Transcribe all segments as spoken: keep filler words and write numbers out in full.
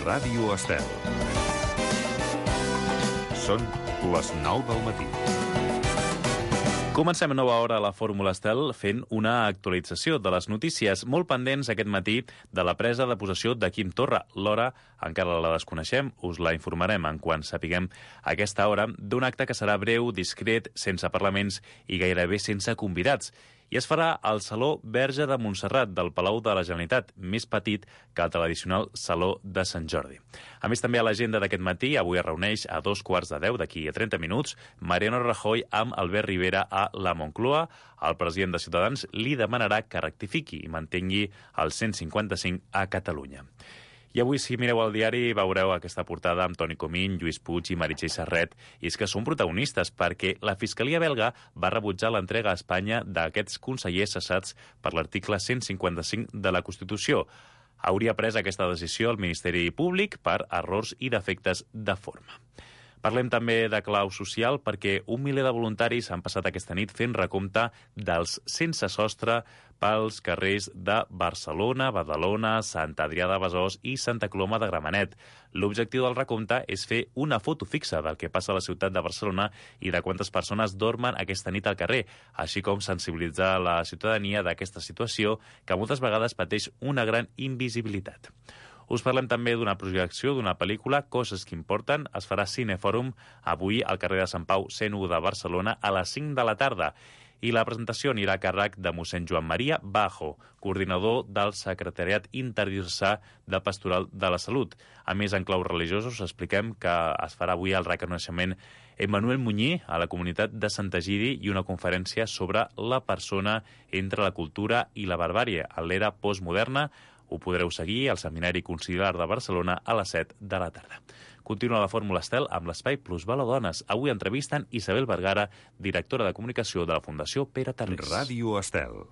Ràdio Estel. Són les nou del matí. Comencem a nova hora a la Fórmula Estel fent una actualització de les notícies molt pendents aquest matí de la presa de possessió de Quim Torra. L'hora encara la desconeixem, us la informarem en quan sapiguem a aquesta hora d'un acte que serà breu, discret, sense parlaments i gairebé sense convidats. I es farà al Saló Verge de Montserrat del Palau de la Generalitat, més petit que el tradicional Saló de Sant Jordi. A més, també a l'agenda d'aquest matí, avui es reuneix a dos quarts de deu, d'aquí a trenta minuts, Mariano Rajoy amb Albert Rivera a la Moncloa. El president de Ciutadans li demanarà que rectifiqui i mantengui el cent cinquanta-cinc a Catalunya. I avui, si mireu el diari, veureu aquesta portada amb Toni Comín, Lluís Puig i Meritxell Serret. I és que són protagonistes perquè la Fiscalia belga va rebutjar l'entrega a Espanya d'aquests consellers cessats per l'article cent cinquanta-cinc de la Constitució. Hauria pres aquesta decisió el Ministeri Públic per errors i defectes de forma. Parlem també de clau social perquè un miler de voluntaris han passat aquesta nit fent recompte dels sense sostre pels carrers de Barcelona, Badalona, Sant Adrià de Besòs i Santa Coloma de Gramenet. L'objectiu del recompte és fer una foto fixa del que passa a la ciutat de Barcelona i de quantes persones dormen aquesta nit al carrer, així com sensibilitzar la ciutadania d'aquesta situació que moltes vegades pateix una gran invisibilitat. Us parlem també d'una projecció d'una pel·lícula, Coses que importen. Es farà Cinefòrum avui al carrer de Sant Pau cent u de Barcelona a les cinc de la tarda. I la presentació anirà a càrrec de mossèn Joan Maria Bajo, coordinador del Secretariat Interdiocesà de Pastoral de la Salut. A més, en claus religiosos, expliquem que es farà avui el reconeixement Emmanuel Muñí a la comunitat de Sant Egidi i una conferència sobre la persona entre la cultura i la barbàrie a l'era postmoderna. Ho podreu seguir al Seminari Conciliar de Barcelona a les set de la tarda. Continua la Fórmula Estel amb l'espai Plusval a Dones. Avui entrevisten Isabel Vergara, directora de comunicació de la Fundació Pere Tarrés. Ràdio Estel.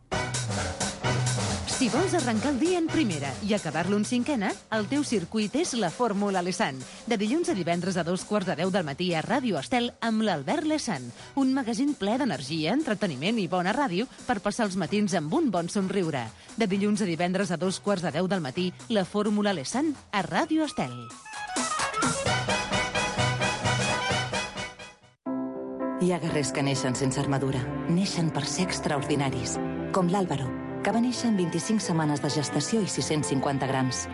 Si vols arrencar el dia en primera i acabar-lo en cinquena, el teu circuit és la Fórmula Lesan. De dilluns a divendres a dos quarts de deu del matí a Ràdio Estel amb l'Albert Lesan. Un magazín ple d'energia, entreteniment i bona ràdio per passar els matins amb un bon somriure. De dilluns a divendres a dos quarts de deu del matí, la Fórmula Lesan a Ràdio Estel. Hi ha guerrers que neixen sense armadura. Neixen per ser extraordinaris. Com l'Àlvaro, que va néixer en vint-i-cinc setmanes de gestació i sis-cents cinquanta grams.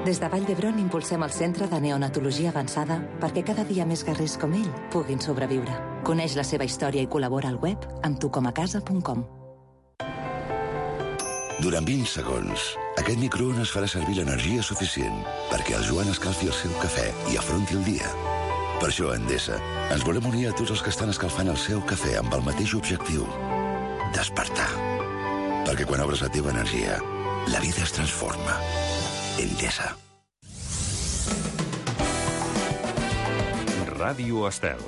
Des de Vall d'Hebron impulsem el Centre de Neonatologia Avançada perquè cada dia més guerrers com ell puguin sobreviure. Coneix la seva història i col·labora al web amb tu com a casa punt com. Durant vint segons, aquest microones farà servir l'energia suficient perquè el Joan escalfi el seu cafè i afronti el dia. Per això, a Endesa, ens volem unir a tots els que estan escalfant el seu cafè amb el mateix objectiu: despertar. Perquè quan obres la teva energia, la vida es transforma. Endesa. Ràdio Estel.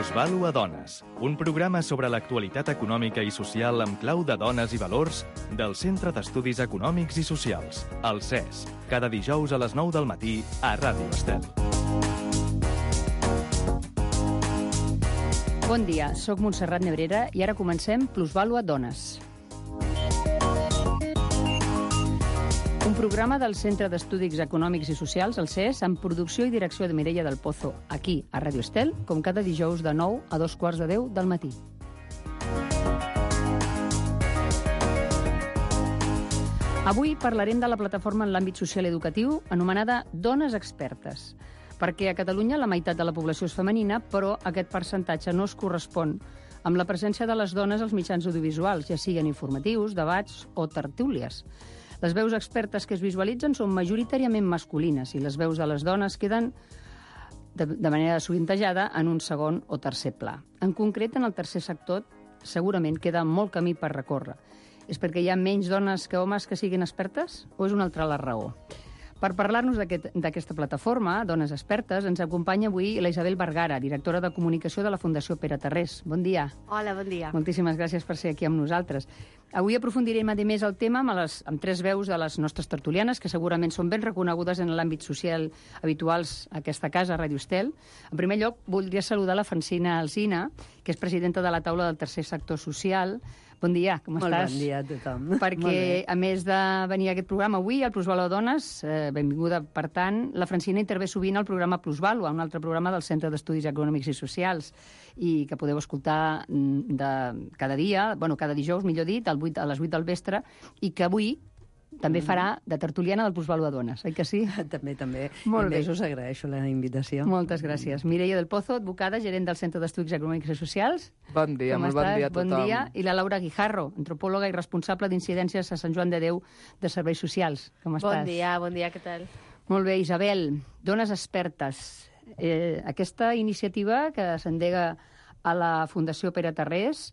Plusvalo a Dones, un programa sobre l'actualitat econòmica i social amb clau de dones i valors del Centre d'Estudis Econòmics i Socials, el C E S, cada dijous a les nou del matí a Ràdio Estel. Bon dia, sóc Montserrat Nebrera i ara comencem Plusvalo a Dones. Un programa del Centre d'Estudis Econòmics i Socials, el C E S, amb producció i direcció de Mireia del Pozo, aquí, a Ràdio Estel, com cada dijous de nou a dos quarts de deu del matí. Avui parlarem de la plataforma en l'àmbit social i educatiu anomenada Dones Expertes, perquè a Catalunya la meitat de la població és femenina, però aquest percentatge no es correspon amb la presència de les dones als mitjans audiovisuals, ja siguin informatius, debats o tertúlies. Les veus expertes que es visualitzen són majoritàriament masculines i les veus de les dones queden de, de manera sovintejada en un segon o tercer pla. En concret, en el tercer sector segurament queda molt camí per recórrer. És perquè hi ha menys dones que homes que siguin expertes o és una altra la raó? Per parlar-nos d'aquest, d'aquesta plataforma, Dones Expertes, ens acompanya avui la Isabel Vergara, directora de comunicació de la Fundació Pere Tarrés. Bon dia. Hola, bon dia. Moltíssimes gràcies per ser aquí amb nosaltres. Avui aprofundirem a més el tema amb, les, amb tres veus de les nostres tertulianes, que segurament són ben reconegudes en l'àmbit social habituals a aquesta casa, a Ràdio Estel. En primer lloc, voldria saludar la Francina Alsina, que és presidenta de la taula del tercer sector social. Bon dia, com Molt estàs? bon dia a tothom. Perquè, a més de venir a aquest programa avui, al Plusvàlua Dones, eh, benvinguda, per tant, la Francina intervé sovint al programa Plusvàlua, un altre programa del Centre d'Estudis Econòmics i Socials, i que podeu escoltar de cada dia, bueno, cada dijous, millor dit, al vuit, a les vuit del vespre, i que avui també farà de tertuliana del Plusvàlua Dones, oi que sí? També, també. Molt I bé. més us agraeixo la invitació. Moltes gràcies. Mireia del Pozo, advocada, gerent del Centre d'Estudis Econòmics i Socials. Bon dia, Com molt estàs? bon dia a tothom. Bon dia. I la Laura Guijarro, antropòloga i responsable d'incidències a Sant Joan de Déu de Serveis Socials. Com estàs? Bon dia, bon dia, què tal? Molt bé, Isabel, Dones Expertes. Eh, aquesta iniciativa que s'endega a la Fundació Pere Tarrés,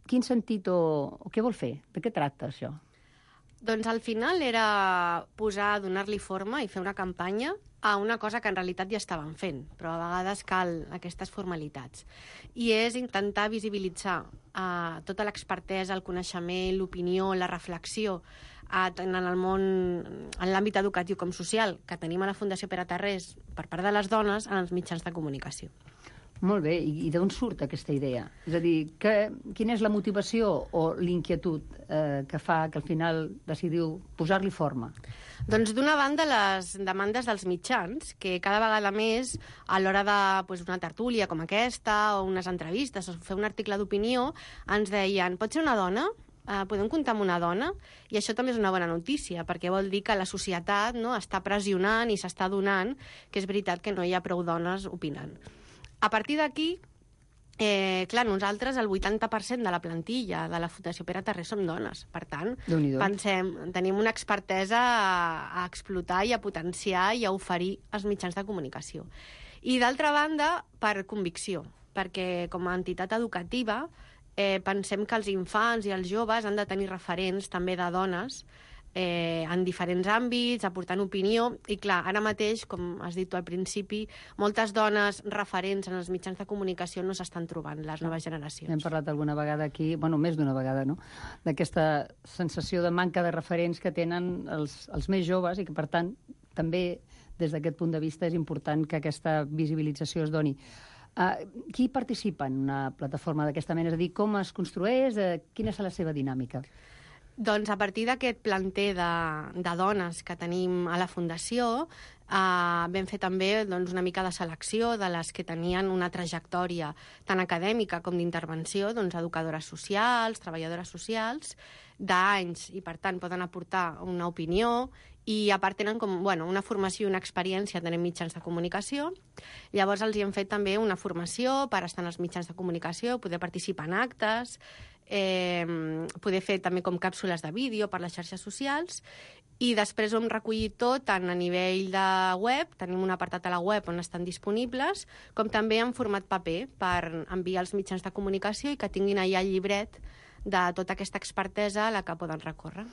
quin sentit o, o què vol fer? De què tracta això? Doncs al final era posar, donar-li forma i fer una campanya a una cosa que en realitat ja estaven fent, però a vegades cal aquestes formalitats. I és intentar visibilitzar uh, tota l'expertesa, el coneixement, l'opinió, la reflexió uh, en el món, en l'àmbit educatiu com social, que tenim a la Fundació Pere Tarrés per part de les dones en els mitjans de comunicació. Molt bé, i, i d'on surt aquesta idea? És a dir, que, quina és la motivació o l'inquietud eh, que fa que al final decidiu posar-li forma? Doncs d'una banda les demandes dels mitjans, que cada vegada més a l'hora de pues, una tertúlia com aquesta o unes entrevistes o fer un article d'opinió ens deien, pot ser una dona? Uh, podem comptar amb una dona? I això també és una bona notícia, perquè vol dir que la societat no, està pressionant i s'està donant que és veritat que no hi ha prou dones opinant. A partir d'aquí, eh, clar, nosaltres el vuitanta per cent de la plantilla de la Fundació Pere Tarrés som dones. Per tant, pensem, tenim una expertesa a, a explotar i a potenciar i a oferir als mitjans de comunicació. I d'altra banda, per convicció, perquè com a entitat educativa eh, pensem que els infants i els joves han de tenir referents també de dones Eh, en diferents àmbits, aportant opinió, i clar, ara mateix, com has dit tu al principi, moltes dones referents en els mitjans de comunicació no s'estan trobant, les noves generacions. Hem parlat alguna vegada aquí, bueno, més d'una vegada, no?, d'aquesta sensació de manca de referents que tenen els, els més joves i que, per tant, també des d'aquest punt de vista és important que aquesta visibilització es doni. Uh, qui participa en una plataforma d'aquesta mena? És a dir, com es construeix? Uh, quina és la seva dinàmica? Doncs a partir d'aquest planter de, de dones que tenim a la Fundació, eh, vam fer també doncs, una mica de selecció de les que tenien una trajectòria tant acadèmica com d'intervenció, doncs, educadores socials, treballadores socials, d'anys, i per tant poden aportar una opinió, i a part tenen com, bueno, una formació i una experiència tenint mitjans de comunicació. Llavors els hi hem fet també una formació per estar en els mitjans de comunicació, poder participar en actes, eh, poder fer també com càpsules de vídeo per les xarxes socials, i després ho hem recollit tot tant a nivell de web, tenim un apartat a la web on estan disponibles, com també en format paper per enviar als mitjans de comunicació i que tinguin allà el llibret de tota aquesta expertesa a la que poden recórrer.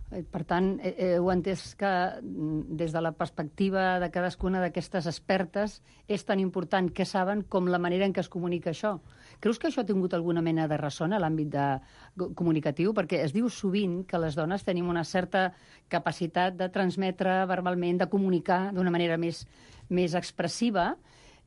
Per tant, heu entès que des de la perspectiva de cadascuna d'aquestes expertes és tan important què saben com la manera en què es comunica això. Creus que això ha tingut alguna mena de ressò a l'àmbit de comunicatiu? Perquè es diu sovint que les dones tenim una certa capacitat de transmetre verbalment, de comunicar d'una manera més, més expressiva,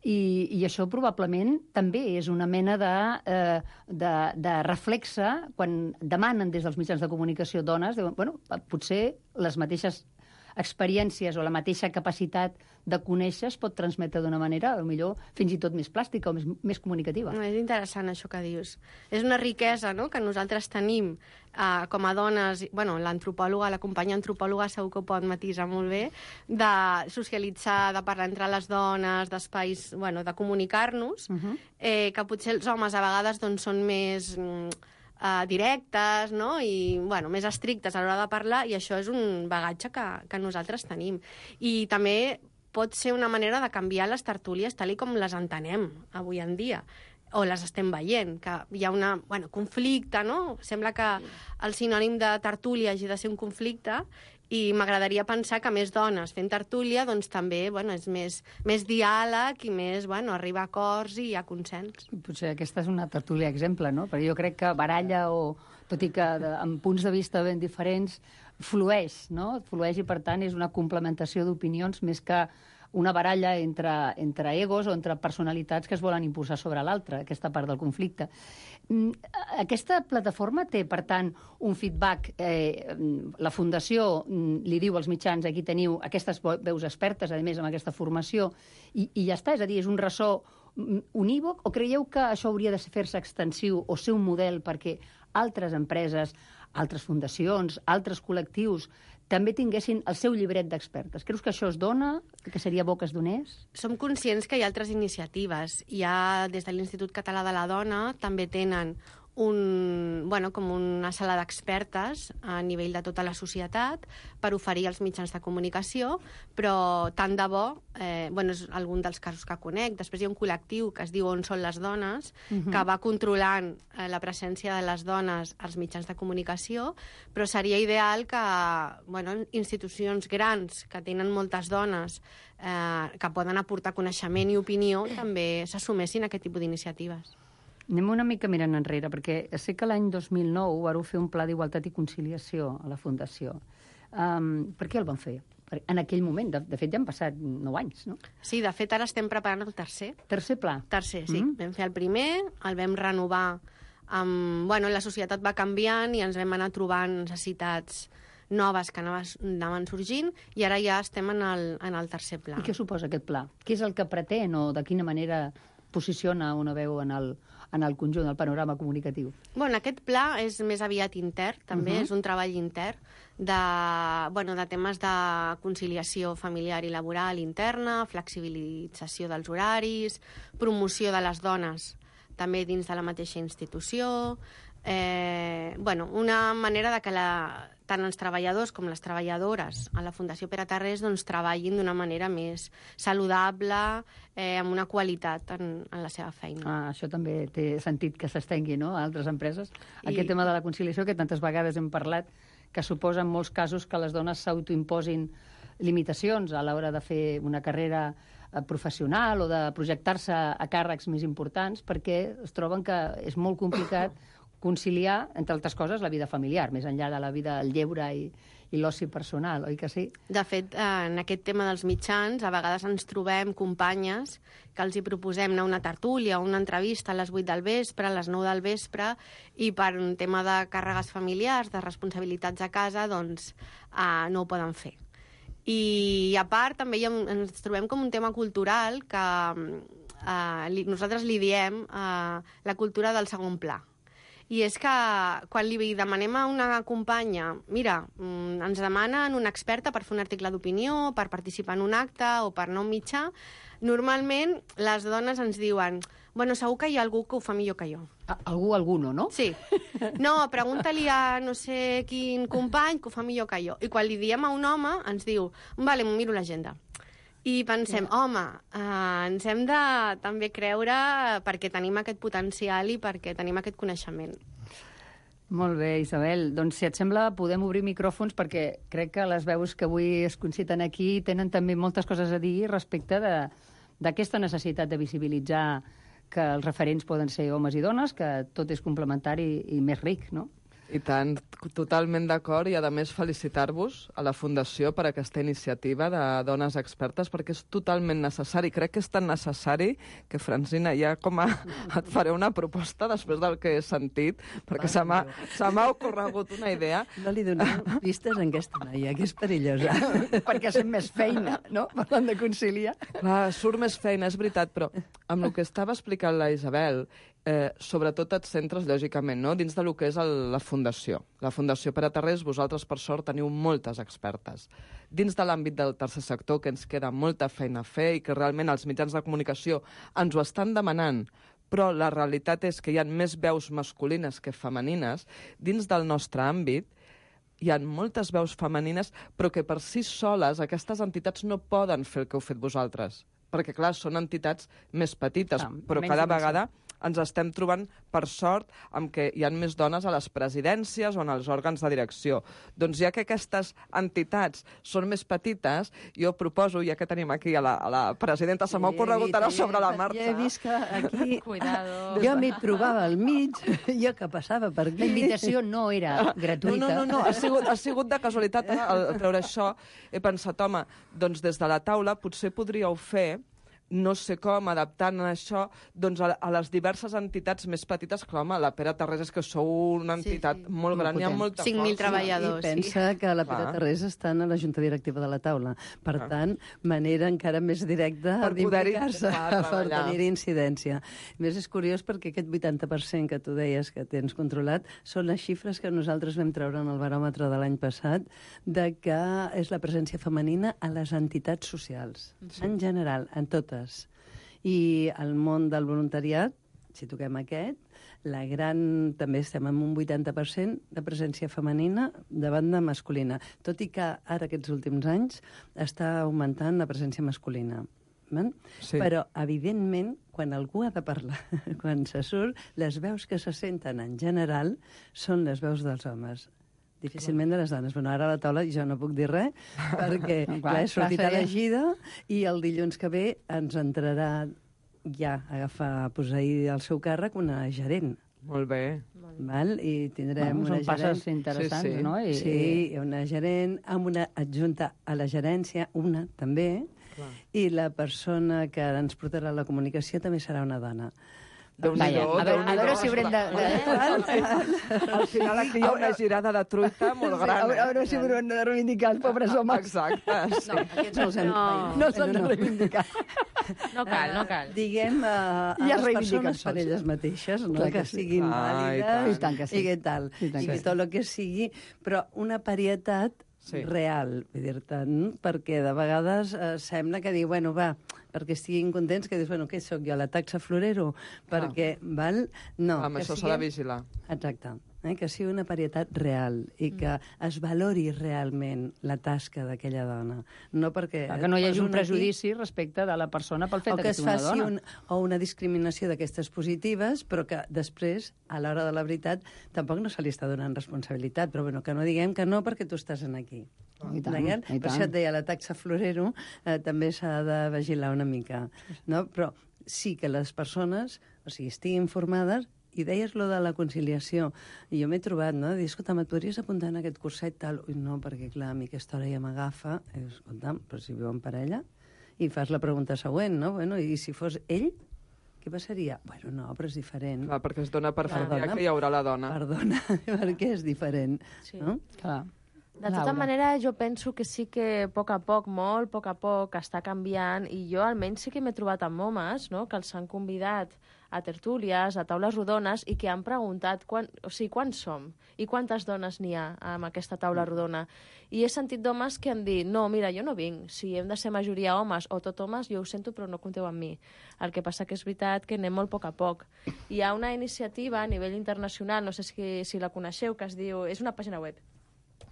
I, i això probablement també és una mena de, eh, de, de reflexe quan demanen des dels mitjans de comunicació dones, diuen, bueno, potser les mateixes experiències o la mateixa capacitat de conèixer es pot transmetre d'una manera, o millor fins i tot més plàstica o més, més comunicativa. És interessant això que dius. És una riquesa, no?, que nosaltres tenim eh, com a dones, bueno, l'antropòloga, la companya antropòloga segur que ho pot matisar molt bé, de socialitzar, de parlar entre les dones, d'espais, bueno, de comunicar-nos, uh-huh. eh, que potser els homes a vegades doncs, són més Uh, directes, no?, i bueno, més estrictes a l'hora de parlar, i això és un bagatge que, que nosaltres tenim. I també pot ser una manera de canviar les tertúlies tal i com les entenem avui en dia, o les estem veient, que hi ha una, bueno, conflicte, no? Sembla que el sinònim de tertúlia hagi de ser un conflicte, I m'agradaria pensar que més dones fent tertúlia doncs també bueno, és més, més diàleg i més bueno, arribar a acords i a consens. Potser aquesta és una tertúlia exemple, no? Perquè jo crec que baralla, o, tot i que de, amb punts de vista ben diferents, flueix, no? Flueix i, per tant, és una complementació d'opinions més que una baralla entre, entre egos o entre personalitats que es volen imposar sobre l'altra, aquesta part del conflicte. Aquesta plataforma té, per tant, un feedback. Eh, la Fundació li diu als mitjans, aquí teniu aquestes veus expertes, a més, amb aquesta formació, i, i ja està, és a dir, és un ressò unívoc, o creieu que això hauria de fer-se extensiu o ser un model perquè altres empreses, altres fundacions, altres col·lectius també tinguessin el seu llibret d'expertes? Creus que això es dona? Que seria bo que es donés? Som conscients que hi ha altres iniciatives. Hi ha, des de l'Institut Català de la Dona, també tenen un, bueno, com una sala d'expertes a nivell de tota la societat per oferir als mitjans de comunicació, però tant de bo, eh, bueno, és algun dels casos que conec. Després hi ha un col·lectiu que es diu On són les dones, uh-huh. que va controlant eh, la presència de les dones als mitjans de comunicació, però seria ideal que bueno, institucions grans que tenen moltes dones eh, que poden aportar coneixement i opinió també s'assumessin a aquest tipus d'iniciatives. Anem una mica mirant enrere, perquè sé que l'any dos mil nou vareu fer un pla d'igualtat i conciliació a la Fundació. Um, per què el van fer? En aquell moment, de, de fet, ja han passat nou anys, no? Sí, de fet, ara estem preparant el tercer. Tercer pla? Tercer, sí. Mm. Vam fer el primer, el vam renovar amb... Bueno, la societat va canviant i ens vam anar trobant necessitats noves que anaven sorgint, i ara ja estem en el, en el tercer pla. I què suposa aquest pla? Què és el que pretén o de quina manera posiciona una veu en el, en el conjunt del panorama comunicatiu? Bueno, aquest pla és més aviat intern, també, uh-huh. és un treball intern de, bueno, de temes de conciliació familiar i laboral interna, flexibilització dels horaris, promoció de les dones també dins de la mateixa institució, eh, bueno, una manera de que la, tant els treballadors com les treballadores a la Fundació Pere Tarrés doncs, treballin d'una manera més saludable, eh, amb una qualitat en, en la seva feina. Ah, això també té sentit que s'estengui, no?, a altres empreses. I... Aquest tema de la conciliació, que tantes vegades hem parlat, que suposa en molts casos que les dones s'autoimposin limitacions a l'hora de fer una carrera professional o de projectar-se a càrrecs més importants, perquè es troben que és molt complicat conciliar, entre altres coses, la vida familiar, més enllà de la vida, el lleure i, i l'oci personal, oi que sí? De fet, en aquest tema dels mitjans, a vegades ens trobem companyes que els hi proposem anar a una tertúlia o una entrevista a les vuit del vespre, a les nou del vespre, i per un tema de càrregues familiars, de responsabilitats a casa, doncs eh, no ho poden fer. I a part també hi ha, ens trobem com un tema cultural que eh, li, nosaltres li diem eh, la cultura del segon pla. I és que quan li demanem a una companya, mira, ens demanen una experta per fer un article d'opinió, per participar en un acte o per anar a un mitjà, normalment les dones ens diuen, bueno, segur que hi ha algú que ho fa millor que jo. Algú, alguno, no? Sí. No, pregunta-li a no sé quin company que ho fa millor que jo. I quan li diem a un home, ens diu, vale, m'ho miro l'agenda. I pensem, home, eh, ens hem de també creure perquè tenim aquest potencial i perquè tenim aquest coneixement. Molt bé, Isabel. Doncs, si et sembla, podem obrir micròfons perquè crec que les veus que avui es conciten aquí tenen també moltes coses a dir respecte d'aquesta necessitat de visibilitzar que els referents poden ser homes i dones, que tot és complementari i més ric, no? I tant, totalment d'acord, i a més felicitar-vos a la Fundació per aquesta iniciativa de dones expertes, perquè és totalment necessari. Crec que és tan necessari que, Francina, ja com a... et faré una proposta després del que he sentit, perquè se m'ha se m'ha ocorregut una idea. No li doneu pistes a aquesta noia, que és perillosa. Perquè sent més feina, no?, parlant de conciliar. Clar, surt més feina, és veritat, però amb el que estava explicant la Isabel, Eh, sobretot els centres, lògicament, no? Dins de lo que és el, la Fundació. La Fundació Pere Tarrés, vosaltres, per sort, teniu moltes expertes. Dins de l'àmbit del tercer sector, que ens queda molta feina a fer i que realment els mitjans de comunicació ens ho estan demanant, però la realitat és que hi ha més veus masculines que femenines. Dins del nostre àmbit hi ha moltes veus femenines, però que per si soles aquestes entitats no poden fer el que heu fet vosaltres. Perquè, clar, són entitats més petites, ah, però cada vegada ens estem trobant, per sort, amb que hi ha més dones a les presidències o en els òrgans de direcció. Doncs ja que aquestes entitats són més petites, jo proposo, ja que tenim aquí a la, a la presidenta, se m'ha ocorregut ara sobre la marxa. Ja he vist que aquí... Cuidado. Jo m'hi trobava al mig, jo que passava per aquí... La invitació no era gratuïta. No, no, no, no. Ha, sigut, ha sigut de casualitat eh, al treure això. He pensat, home, doncs des de la taula potser podríeu fer, no sé com, adaptant això doncs a, a les diverses entitats més petites, que, home, la Pere Tarrés és que sou una entitat sí, sí. molt gran, hi ha molta cinc mil força. treballadors. I pensa sí. que la Pere Clar. Tarrés està en la Junta Directiva de la taula. Per Clar. tant, manera encara més directa Per poder-hi d'implicar-se, treballar. per tenir incidència. A més, és curiós perquè aquest vuitanta per cent que tu deies que tens controlat són les xifres que nosaltres vam treure en el baròmetre de l'any passat de que és la presència femenina a les entitats socials, sí. en general, en totes. I el món del voluntariat, si toquem aquest, la gran, també estem en un vuitanta per cent de presència femenina de banda masculina, tot i que ara aquests últims anys està augmentant la presència masculina. Sí. Però, evidentment, quan algú ha de parlar, quan se surt, les veus que se senten en general són les veus dels homes. Difícilment de les dones. Bueno, ara a la taula jo no puc dir res, perquè no, clar, clar, he sortit elegida i el dilluns que ve ens entrarà ja a agafar, a posar-hi el seu càrrec una gerent. Molt bé. Val? I tindrem bueno, una són gerent... passes interessants, sí, sí. no? I, sí, una gerent amb una adjunta a la gerència, una també, clar. I la persona que ens portarà la comunicació també serà una dona. Vaja, a, veure, a veure si haurem de... Al final aquí hi ha una girada de truita molt gran. A veure, a veure si haurem de reivindicar els pobres homes. Exacte. Sí. No, aquests no els hem... No, no s'han de reivindicar. No cal, no cal. Uh, diguem, uh, a Ja les persones sols. per elles mateixes, no? Clar que, que sí. siguin Ah, i vàlides tant que sí. i que tal. I tant I que que sí. tot el que sigui, però una parietat Sí. real, vull dir-te, perquè de vegades eh, sembla que diu, bueno, va, perquè estiguin contents, que dius, bueno, què sóc jo, la taxa florero? Perquè, val? No. Amb que això s'ha siguem- de vigilar. Exacte. Eh? Que sigui una parietat real i que es valori realment la tasca d'aquella dona. No perquè... Clar, que no hi hagi un poso aquí- prejudici respecte de la persona pel fet o de que que es sigui una faci dona. un, o una discriminació d'aquestes positives, però que després, a l'hora de la veritat, tampoc no se li està donant responsabilitat. Però bueno, que no diguem que no perquè tu estàs en aquí. I tant, D'acord? i Per tant. això et deia, la taxa florero eh, també s'ha de vigilar una mica. No? Però sí que les persones, o sigui, estiguin informades. I deies lo de la conciliació. I jo m'he trobat, no? Dir, escolta, et podries apuntar en aquest curset tal? Ui, no, perquè, clar, a mi aquesta hora ja m'agafa. I dius, escolta, però si viu en parella? I fas la pregunta següent, no? Bueno, i si fos ell, què passaria? Bueno, no, però és diferent. Clar, perquè es dona per Clar, fet ja dona. que hi haurà la dona. Perdona, perquè és diferent. Sí. No? Clar. De tota manera, jo penso que sí que a poc a poc, molt a poc a poc, està canviant, i jo almenys sí que m'he trobat amb homes, no?, que els han convidat a tertúlies, a taules rodones, i que han preguntat quan, o sigui, quants som i quantes dones n'hi ha en aquesta taula rodona. I he sentit d'homes que han dit, no, mira, jo no vinc, si hem de ser majoria homes o tot homes, jo ho sento, però no compteu amb mi. El que passa que és veritat que anem molt a poc a poc. Hi ha una iniciativa a nivell internacional, no sé si, si la coneixeu, que es diu... És una pàgina web.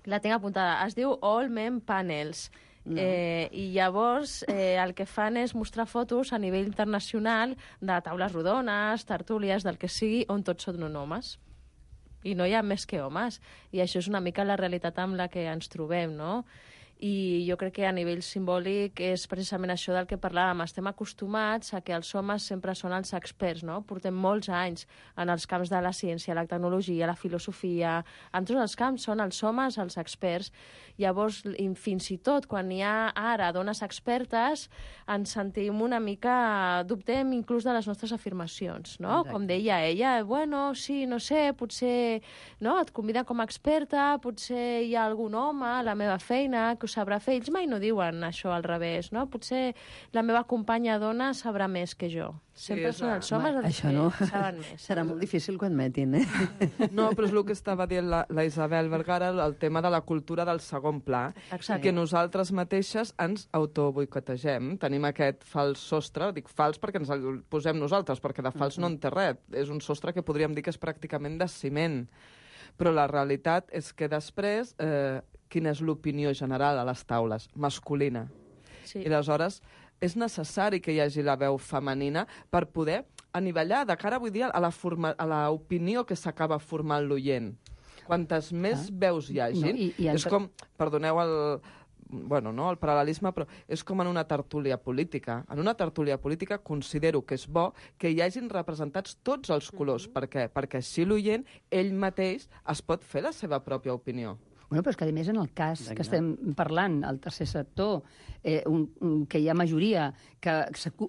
La tinc apuntada. Es diu All Men Panels. No. Eh, I llavors eh, el que fan és mostrar fotos a nivell internacional de taules rodones, tertúlies, del que sigui, on tots són homes. I no hi ha més que homes. I això és una mica la realitat amb la que ens trobem, no? I jo crec que a nivell simbòlic és precisament això del que parlàvem. Estem acostumats a que els homes sempre són els experts, no? Portem molts anys en els camps de la ciència, la tecnologia, la filosofia... En tots els camps són els homes els experts. Llavors, fins i tot, quan hi ha ara dones expertes, ens sentim una mica... Dubtem inclús de les nostres afirmacions, no? Exacte. Com deia ella, bueno, sí, no sé, potser no? Et conviden com a experta, potser hi ha algun home a la meva feina que ho sabrà fer. Ells mai no diuen això al revés, no? Potser la meva companya dona sabrà més que jo. Sempre sí, són els homes els això que no. saben més. Serà molt difícil que ho admetin, eh? No, però és el que estava dient la, la Isabel Vergara, el tema de la cultura del segon pla. Exacte. Que nosaltres mateixes ens autoboicotegem. Tenim aquest fals sostre, dic fals perquè ens el posem nosaltres, perquè de fals no en té res. És un sostre que podríem dir que és pràcticament de ciment. Però la realitat és que després, eh, quina és l'opinió general a les taules? Masculina. Sí. I aleshores és necessari que hi hagi la veu femenina per poder anivellar de cara, vull dir, a la forma, a l'opinió que s'acaba formant l'oient. Quantes més ah. veus hi hagin, no, i, i és com, perdoneu el, bueno, no, el paral·lelisme, però és com en una tertúlia política. En una tertúlia política considero que és bo que hi hagin representats tots els colors. Mm-hmm. Per què? Perquè així l'oient, ell mateix, es pot fer la seva pròpia opinió. Bueno, però és que, a més, en el cas que estem parlant, el tercer sector, eh, un, un, que hi ha majoria que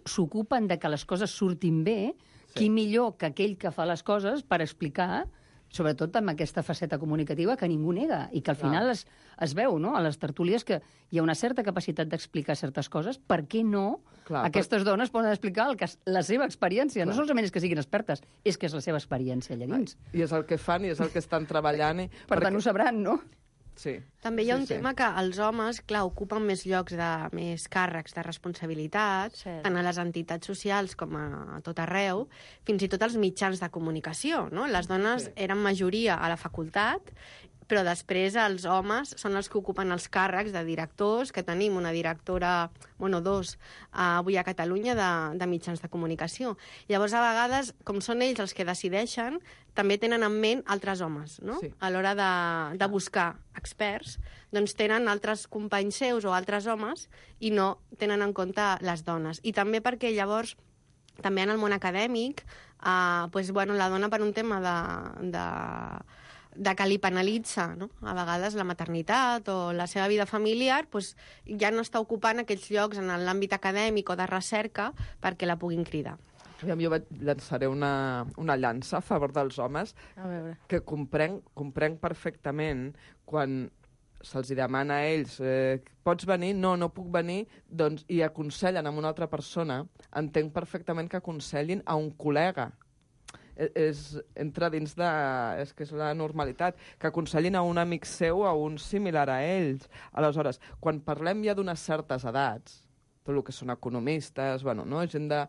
s'ocupen de que les coses surtin bé, sí. Qui millor que aquell que fa les coses per explicar, sobretot amb aquesta faceta comunicativa que ningú nega, i que al final es, es veu, no?, a les tertúlies, que hi ha una certa capacitat d'explicar certes coses. Per què no Clar, aquestes per... dones poden explicar el que, la seva experiència? Clar. No solament és que siguin expertes, és que és la seva experiència allà dins. I és el que fan i és el que estan treballant. I... Per perquè... tant, ho sabran, no? Sí. També hi ha un sí, tema sí. que els homes, clar, ocupen més llocs de més càrrecs de responsabilitat, sí. tant a les entitats socials com a tot arreu, fins i tot als mitjans de comunicació, no? Les dones sí. eren majoria a la facultat, però després els homes són els que ocupen els càrrecs de directors, que tenim una directora, bueno, dos, uh, avui a Catalunya, de, de mitjans de comunicació. Llavors, a vegades, com són ells els que decideixen, també tenen en ment altres homes, no? Sí. A l'hora de, de buscar experts, doncs tenen altres companys seus o altres homes i no tenen en compte les dones. I també perquè llavors, també en el món acadèmic, uh, pues, bueno, la dona per un tema de... de de que li penalitza, no? A vegades la maternitat o la seva vida familiar, pues, ja no està ocupant aquells llocs en l'àmbit acadèmic o de recerca perquè la puguin cridar. Jo vaig llançaré una, una llança a favor dels homes, a veure. Que comprenc, comprenc perfectament quan se'ls demana a ells eh, pots venir? No, no puc venir, doncs, i aconsellen a una altra persona. Entenc perfectament que aconsellin a un col·lega. És, entra dins de... És que és la normalitat. Que aconsellin a un amic seu, a un similar a ells. Aleshores, quan parlem ja d'unes certes edats, tot el que són economistes, bueno, no? Gent de...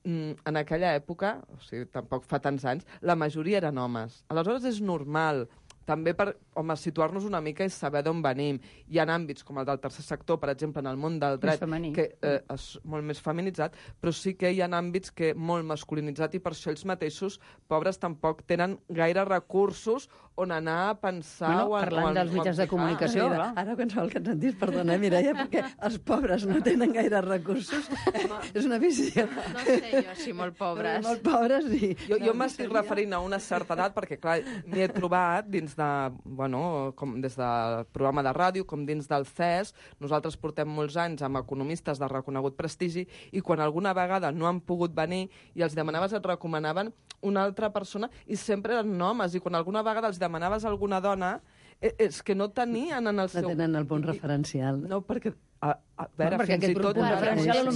En aquella època, o sigui, tampoc fa tants anys, la majoria eren homes. Aleshores és normal, també per, home, situar-nos una mica i saber d'on venim. Hi ha àmbits com el del tercer sector, per exemple, en el món del dret, que eh, és molt més feminitzat, però sí que hi ha àmbits que molt masculinitzat i per això ells mateixos, pobres, tampoc tenen gaire recursos on anar a pensar... Bueno, o a, parlant o a, dels mitjans de comunicació, ah, mira, ara qualsevol que et sentis, perdona, Mireia, perquè els pobres no tenen gaire recursos, és una visió. No sé jo, si molt pobres. Molt pobres, i... Jo, jo m'estic referint a una certa edat, perquè, clar, m'hi he trobat dins de, bueno, com des del programa de ràdio, com dins del C E S, nosaltres portem molts anys amb economistes de reconegut prestigi i quan alguna vegada no han pogut venir i els demanaves, et recomanaven una altra persona i sempre eren homes, i quan alguna vegada els demanaves a alguna dona, és que no tenien en el seu... No tenen el punt referencial. No, perquè... A, a veure, no, fins i tot...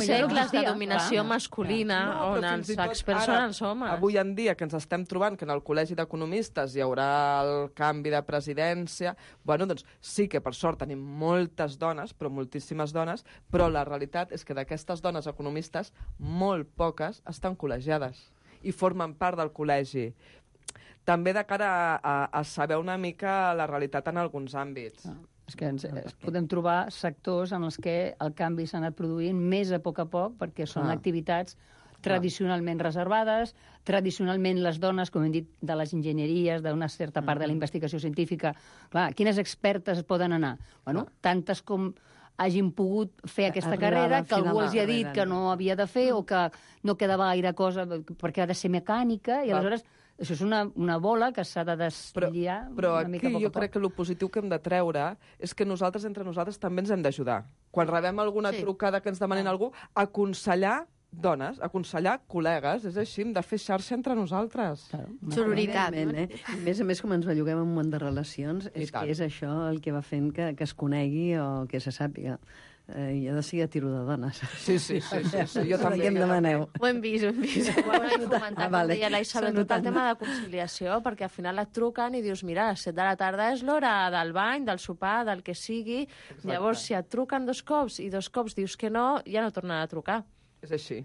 Segles de dominació masculina, no, on els experts són els homes. Avui en dia, que ens estem trobant que en el Col·legi d'Economistes hi haurà el canvi de presidència, bueno, doncs sí que per sort tenim moltes dones, però moltíssimes dones, però la realitat és que d'aquestes dones economistes, molt poques estan col·legiades i formen part del col·legi. També de cara a, a, a saber una mica la realitat en alguns àmbits. Ah. És que ens, es podem trobar sectors en els que el canvi s'ha anat produint més a poc a poc, perquè són ah. activitats tradicionalment ah. reservades, tradicionalment les dones, com hem dit, de les enginyeries, d'una certa part mm. de la investigació científica, clar, quines expertes poden anar? Bueno, ah. tantes com hagin pogut fer aquesta Arribar carrera, que algú els hi ha dit que no havia de fer o que no quedava gaire cosa perquè ha de ser mecànica, i aleshores... Això és una, una bola que s'ha de deslliar però, una mica però a poc a jo poc. crec que el positiu que hem de treure és que nosaltres, entre nosaltres, també ens hem d'ajudar. Quan rebem alguna sí. trucada que ens demanen ah. algú, aconsellar dones, aconsellar col·legues, és així, hem de fer xarxa entre nosaltres. Claro, sororitat. No? Eh? A més a més, com ens belluguem en un món de relacions, és que és això el que va fent que, que es conegui o que se sàpiga. Eh, jo de seguir a tiro de dones. Sí, sí, sí. sí, sí. Jo també. Què em demaneu? Ho hem vist, ho hem vist. Ho hem comentat, ah, vale. Deia la Isabel, tot el tema de conciliació, perquè al final et truquen i dius, mira, a les set de la tarda és l'hora del bany, del sopar, del que sigui. Exacte. Llavors, si et truquen dos cops i dos cops dius que no, ja no tornen a trucar. És així.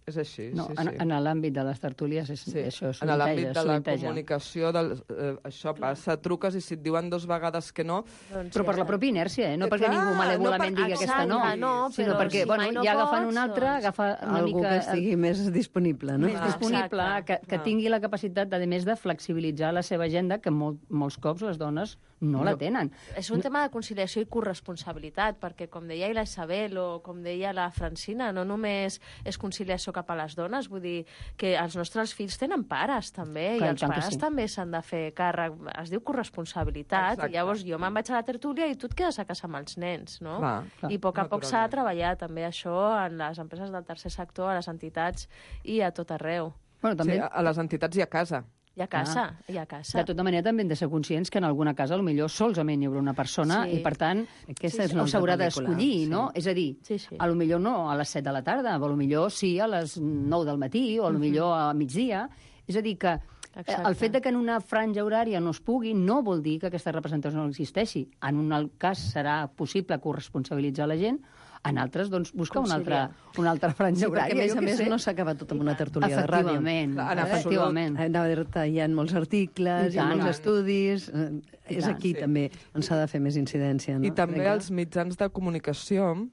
És així, no, sí, en, sí. en l'àmbit de les tertúlies és, Sí. això En l'àmbit solinteja. de la solinteja. comunicació, del, eh, això passa, truques i si et diuen dos vegades que no... Doncs Però per la pròpia inèrcia, eh? no Eh, perquè clar, ningú malèvolament no per- digui aquesta no, Exacte, no, sinó però perquè si bueno, mai no ja agafant pots, un altre, doncs- agafa una Algú mica... que estigui més disponible, no? més Ah, disponible, exacte. que, que Ah. tingui la capacitat, de, a més, de flexibilitzar la seva agenda, que molt, molts cops les dones no la tenen. És un tema de conciliació i corresponsabilitat, perquè, com deia la Isabel o com deia la Francina, no només és conciliació cap a les dones, vull dir que els nostres fills tenen pares, també, Clar, i i els tant que pares sí. també s'han de fer càrrec. Es diu corresponsabilitat, Exacte. i llavors jo me'n vaig a la tertúlia i tu et quedes a casa amb els nens, no? Clar, I a poc a poc s'ha de naturalment. treballar també això en les empreses del tercer sector, a les entitats i a tot arreu. Bueno, també, Sí, a a les entitats i a casa. I a casa, i a casa. de tota manera, també hem de ser conscients que en alguna casa potser solament hi haurà una persona Sí. i, per tant, Aquesta és una altra s'haurà pel·lícula, d'escollir, sí. no? És a dir, Sí, sí. a lo millor no a les set de la tarda, a lo millor sí a les nou del matí o a lo millor a migdia. És a dir, que Exacte. el fet de que en una franja horària no es pugui no vol dir que aquesta representació no existeixi. En un cas serà possible corresponsabilitzar la gent, en altres, doncs, busca una altra, Conciliar. una altra franja Sí, horària. perquè, a més jo a què més, sé. no s'acaba tot amb una tertúlia de ràdio. Efectivament, Clar, en absolut. efectivament. Anava a dir-te, hi ha molts articles, I hi ha tant, molts i tant. estudis... eh, I És tant, aquí sí. també on s'ha de fer més incidència, no? I també Crec que- els mitjans de comunicació,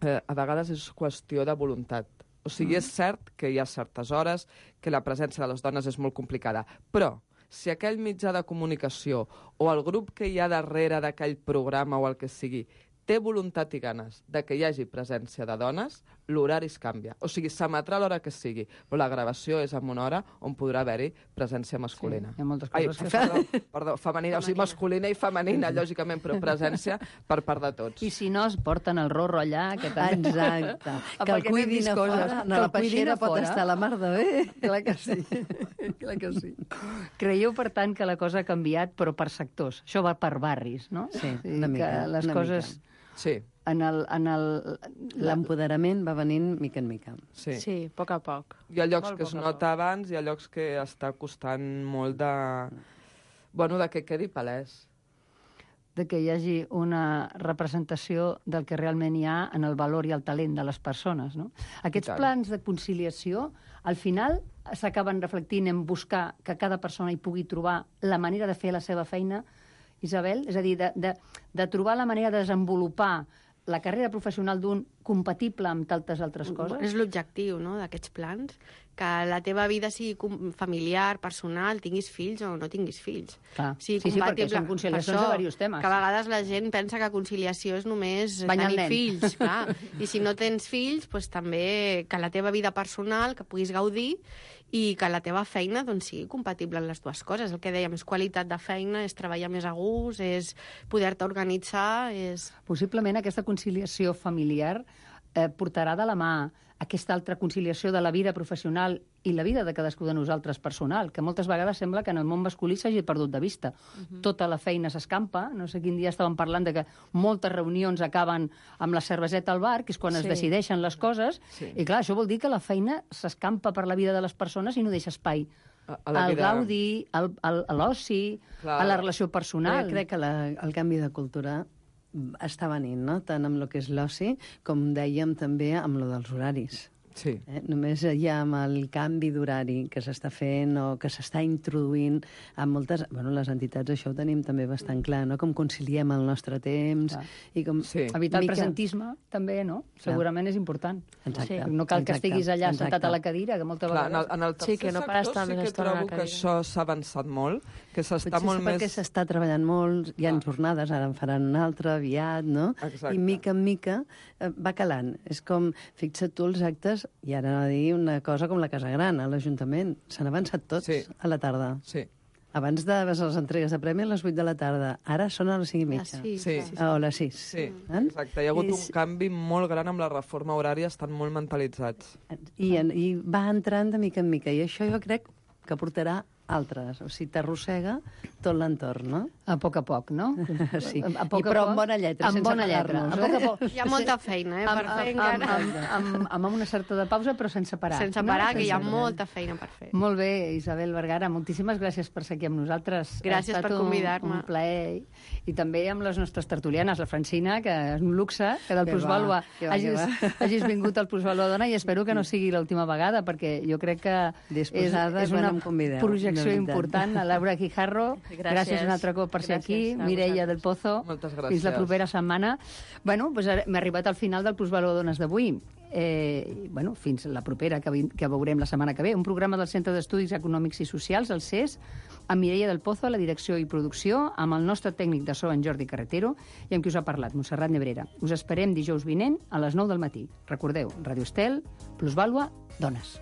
eh, a vegades és qüestió de voluntat. O sigui, és cert que hi ha certes hores que la presència de les dones és molt complicada, però si aquell mitjà de comunicació o el grup que hi ha darrere d'aquell programa o el que sigui té voluntat i ganes de que hi hagi presència de dones, l'horari es canvia. O sigui, s'emetrà a l'hora que sigui, però la gravació és en una hora on podrà haver-hi presència masculina. Sí, hi ha moltes Ai, coses que... perdó, perdó, femenina, o sigui, masculina i femenina, lògicament, però presència per part de tots. I si no, es porten el rorro allà, que també... Exacte. Que el Perquè anem cuidin vist a coses, fora. que No, el la cuidin peixera a pot fora. estar a la mar de bé. Clar que sí. Clar que sí. Creieu, per tant, que la cosa ha canviat, però per sectors. Això va per barris, no? Sí, O sigui, una mica, Que les una coses... Sí, En el, en el, L'empoderament va venint mica en mica. sí. Sí, a poc a poc. Hi ha llocs Molt que es poc a nota abans, hi ha llocs que està costant molt de... Bueno, de que quedi palès. de que hi hagi una representació del que realment hi ha en el valor i el talent de les persones. No? Aquests tant. plans de conciliació, al final, s'acaben reflectint en buscar que cada persona hi pugui trobar la manera de fer la seva feina, Isabel? És a dir, de, de, de trobar la manera de desenvolupar la carrera professional d'un compatible amb tantes altres coses? És l'objectiu, no?, d'aquests plans, que la teva vida sigui com- familiar, personal, tinguis fills o no tinguis fills. Clar. Sigui Sí, sí, perquè compatible. són conciliacions Per de diversos temes. Que a vegades la gent pensa que conciliació és només Banyar el tenir nen. fills, clar. I si no tens fills, doncs també que la teva vida personal, que puguis gaudir, i que la teva feina doncs, sigui compatible amb les dues coses. El que dèiem és qualitat de feina, és treballar més a gust, és poder-te organitzar, és... Possiblement aquesta conciliació familiar eh, portarà de la mà aquesta altra conciliació de la vida professional i la vida de cadascú de nosaltres personal, que moltes vegades sembla que en el món masculí s'hagi perdut de vista. Uh-huh. Tota la feina s'escampa, no sé quin dia estàvem parlant de que moltes reunions acaben amb la cerveseta al bar, que és quan sí. es Sí. decideixen les coses, Sí. i clar, això vol dir que la feina s'escampa per la vida de les persones i no deixa espai A, a la al vida... gaudi, al, al, a l'oci, Clar. a la relació personal. Jo crec que la, el canvi de cultura està venint, no? Tant amb el que és l'oci, com dèiem també amb lo dels horaris. Sí. Eh? Només ja amb el canvi d'horari que s'està fent o que s'està introduint en moltes... Bueno, les entitats això ho tenim també bastant clar, no? Com conciliem el nostre temps Clar. i com... Sí. Evitar el mica- presentisme, també, no? Segurament és important. Exacte. Sí. No cal que exacte, estiguis allà exacte. sentat a la cadira, que moltes Clar, en el, vegades... en el tercer Sí, que no pares sector tant sí que estona a la trobo que cadira. això s'ha avançat molt, que s'està Potser molt és perquè més... s'està treballant molt, hi ha Ah. jornades, ara en faran una altra aviat, no? Exacte. I mica en mica eh, va calant. És com, fixa't tu els actes, i ara no dir una cosa com la Casa Gran, a l'Ajuntament. S'han avançat tots Sí. a la tarda. Sí, Abans de les entregues de premi a les vuit de la tarda. Ara són a les cinc i mitja. Sí, Sí. sí. O a les sis. sí, Eh? exacte. Hi ha hagut I un s- canvi molt gran amb la reforma horària, estan molt mentalitzats. I, en, I va entrant de mica en mica. I això jo crec que portarà altres. O sigui, t'arrossega tot l'entorn, no? A poc a poc, no? Sí, a poc I però a poc, amb bona lletra, amb sense bona lletra. parar-nos, A poc a poc. Hi ha molta feina, eh, per Amb, fer amb, encara. amb, amb, amb, amb una certa de pausa, però sense parar. Sense parar, no? que hi ha Sense molta feina per fer. Molt bé, Isabel Vergara, moltíssimes gràcies per ser aquí amb nosaltres. Gràcies Ha estat per convidar-me. Un, un plaer. I també amb les nostres tertulianes, la Francina, que és un luxe, que del Que Plusvàlua va, que va, hagis, que va. hagis vingut al Plusvàlua Dona, i espero que no sigui l'última vegada, perquè jo crec que és, Disposada és quan una em convideu, projecció de veritat. important. A Laura Guijarro, Gràcies. gràcies un altre cop per ser Gràcies aquí. a Mireia vosaltres. del Pozo, Moltes gràcies. fins la propera setmana. Bueno, doncs ara m'he arribat al final del Plusvàlua Dones d'avui. Eh, bueno, fins la propera, que, vi- que veurem la setmana que ve. Un programa del Centre d'Estudis Econòmics i Socials, el C E S, amb Mireia del Pozo a la direcció i producció, amb el nostre tècnic de so, en Jordi Carretero, i amb qui us ha parlat, Montserrat Nebrera. Us esperem dijous vinent a les nou del matí. Recordeu, Radio Estel, Plusvàlua, Dones.